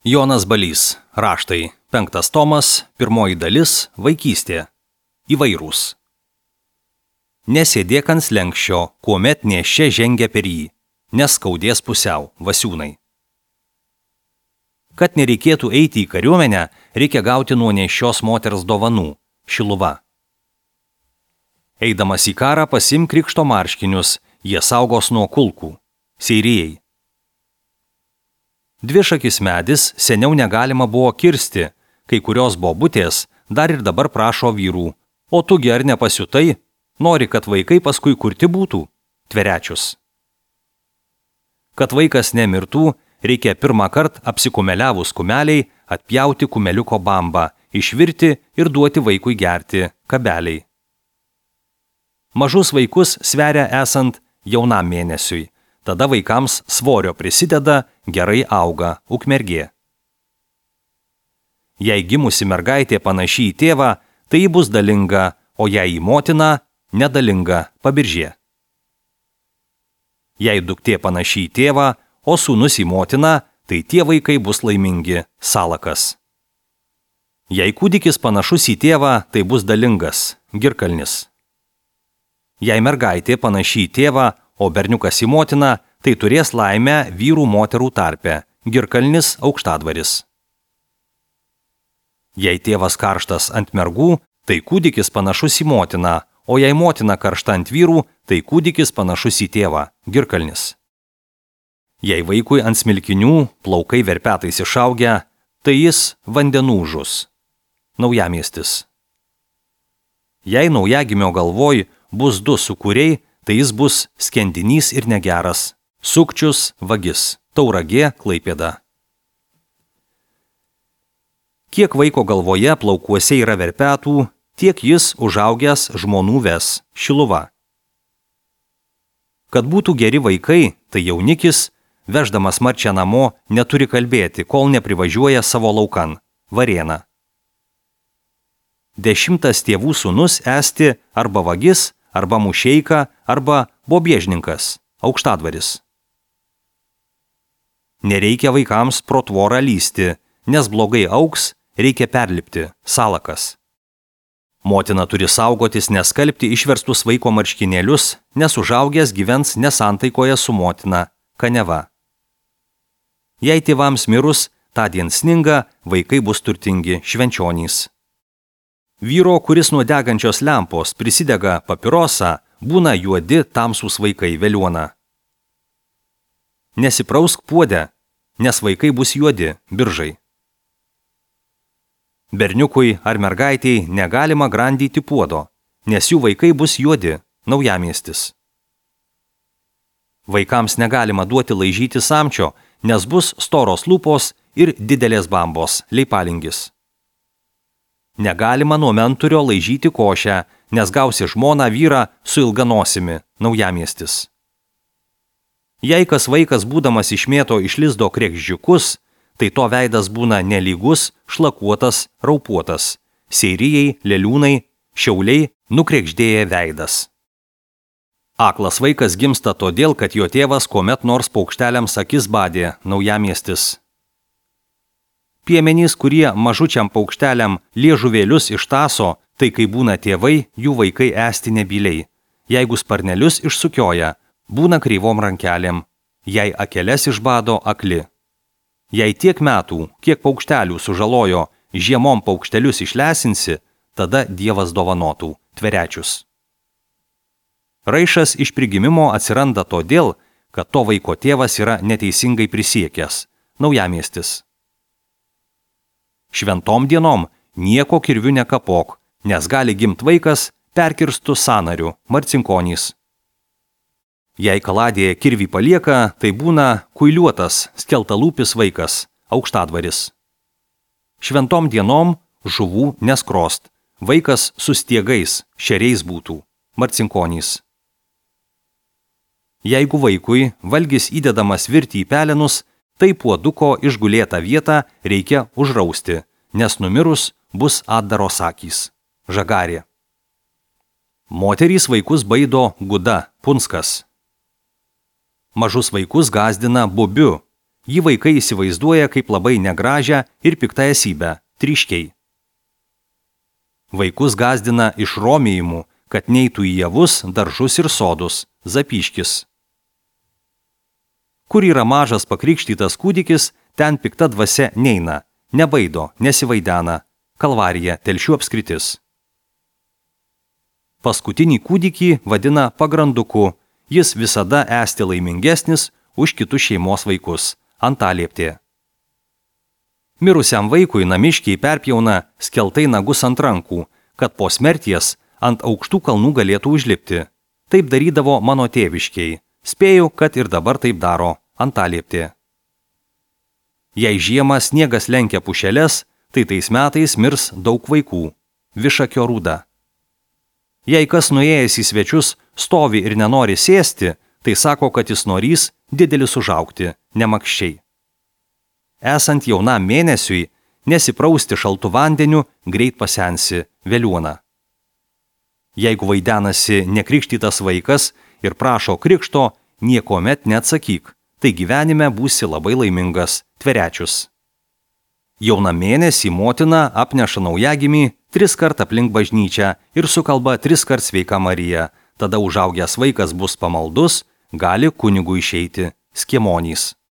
Jonas Balys, raštai, 5 tomas, 1 dalis, vaikystė. Įvairūs. Nesėdėk ant slenkščio, kuomet nėščia žengia per jį, nes skaudės pusiau, Vasiūnai. Kad nereikėtų eiti į kariuomenę, reikia gauti nuo nėščios moters dovanų, Šiluva. Eidamas į karą pasimk krikšto marškinius, jie saugos nuo kulkų, Seirijai. Dvišakis medis seniau negalima buvo kirsti, kai kurios bobutės dar ir dabar prašo vyrų, o tugi ar nepasiutai, nori, kad vaikai paskui kurti būtų, Tverečius. Kad vaikas nemirtų, reikia pirmą kartą apsikumeliavus kumeliai atpjauti kumeliuko bambą, išvirti ir duoti vaikui gerti, kabeliai. Mažus vaikus sveria esant jaunam mėnesiui. Tada vaikams svorio prisideda, gerai auga ukmergė. Jei gimusi mergaitė panaši į tėvą, tai ji bus dalinga, o jei į motiną, nedalinga, Pabiržė. Jei duktė panaši į tėvą, o sūnus į motiną, tai tie vaikai bus laimingi, Salakas. Jei kūdikis panašus į tėvą, tai bus dalingas, Girkalnis. Jei mergaitė panaši į tėvą, o berniukas į motiną, tai turės laimę vyrų moterų tarpe, Girkalnis Aukštadvaris. Jei tėvas karštas ant mergų, tai kūdikis panašus į motiną, o jei motina karšta ant vyrų, tai kūdikis panašus į tėvą, Girkalnis. Jei vaikui ant smilkinių plaukai verpetais išaugę, tai jis vandenūžus, Naujamiestis. Jei naujagimio galvoj bus 2 sūkuriai, tai jis bus skendinys ir negeras, Sukčius, vagis, Tauragė, Klaipėda. Kiek vaiko galvoje plaukuose yra verpetų, tiek jis užaugęs žmonų ves, Šiluva. Kad būtų geri vaikai, tai jaunikis, veždamas marčią namo, neturi kalbėti, kol neprivažiuoja savo laukan, Varėna. 10 tėvų sūnus esti arba vagis, arba mušeika, arba bobiežninkas, Aukštadvaris. Nereikia vaikams pro tvorą lysti, nes blogai augs, reikia perlipti, Salakas. Motina turi saugotis neskalbti išverstus vaiko marškinėlius, nes užaugęs gyvens nesantaikoje su motina, Kaneva. Jei tėvams mirus, tądien sninga, vaikai bus turtingi, Švenčionys. Vyro, kuris nuo degančios lempos prisidega papirosą, būna juodi tamsūs vaikai, Veliuona. Nesiprausk puodę, nes vaikai bus juodi, Biržai. Berniukui ar mergaitei negalima grandyti puodo, nes jų vaikai bus juodi, Naujamiestis. Vaikams negalima duoti laižyti samčio, nes bus storos lūpos ir didelės bambos, Leipalingis. Negalima nuo menturio laižyti košę, nes gausi žmoną vyrą su ilga nosimi, Naujamiestis. Jei kas vaikas būdamas išmėto iš lizdo krekždžiukus, tai to veidas būna nelygus, šlakuotas, raupuotas, Seirijai, Leliūnai, Šiauliai, nukrekždėję veidas. Aklas vaikas gimsta todėl, kad jo tėvas kuomet nors paukšteliams akis badė, Naujamiestis. Piemenys, kurie mažučiam paukšteliam liežuvėlius ištaso, tai kai būna tėvai, jų vaikai esti nebyliai. Jeigu sparnelius išsukioja, būna kreivom rankelėm, jei akeles išbado, akli. Jei tiek metų, kiek paukštelių sužalojo, žiemom paukštelius išlesinsi, tada Dievas dovanotų, Tverečius. Raišas iš prigimimo atsiranda todėl, kad to vaiko tėvas yra neteisingai prisiekęs, Naujamiestis. Šventom dienom nieko kirviu nekapok, nes gali gimt vaikas perkirstų sąnarių, Marcinkonys. Jei kaladėje kirvį palieka, tai būna kuiliuotas, skeltalūpis vaikas, Aukštadvaris. Šventom dienom žuvų neskrost, vaikas su stiegais, šeriais būtų, Marcinkonys. Jeigu vaikui valgis įdedamas virti į pelenus, tai puoduko išgulėtą vietą reikia užrausti, nes numirus bus atdaros akys, Žagarė. Moterys vaikus baido Guda, Punskas. Mažus vaikus gąsdina bubiu. Jį vaikai įsivaizduoja kaip labai negražią ir piktą esybę – tryškiai. Vaikus gazdina išromėjimu, kad neitų į javus, daržus ir sodus – zapyškis. Kur yra mažas pakrikštytas kūdikis, ten pikta dvasia neina, nebaido, nesivaidena. Kalvarija, Telšių apskritis. Paskutinį kūdikį vadina pagranduku, jis visada esti laimingesnis už kitus šeimos vaikus. Antalieptė. Mirusiam vaikui namiškiai perpjauna skeltai nagus ant rankų, kad po smerties ant aukštų kalnų galėtų užlipti. Taip darydavo mano tėviškiai. Spėju, kad ir dabar taip daro. Antalieptė. Jei žiemą sniegas lenkia pušeles, tai tais metais mirs daug vaikų. Višakio rūda. Jei kas nuėjęs į svečius stovi ir nenori sėsti, tai sako, kad jis norys didelis užaugti, nemakščiai. Esant jaunam mėnesiui, nesiprausti šaltu vandeniu, greit pasensi, veliuona. Jeigu vaidenasi nekrikštytas vaikas ir prašo krikšto, niekomet neatsakyk, tai gyvenime būsi labai laimingas, tverečius. Jauna mėnesį motina apneša naujagimį 3 kart aplink bažnyčią ir sukalba 3 kart sveika Marija, tada užaugęs vaikas bus pamaldus, gali kunigui išeiti skiemonys.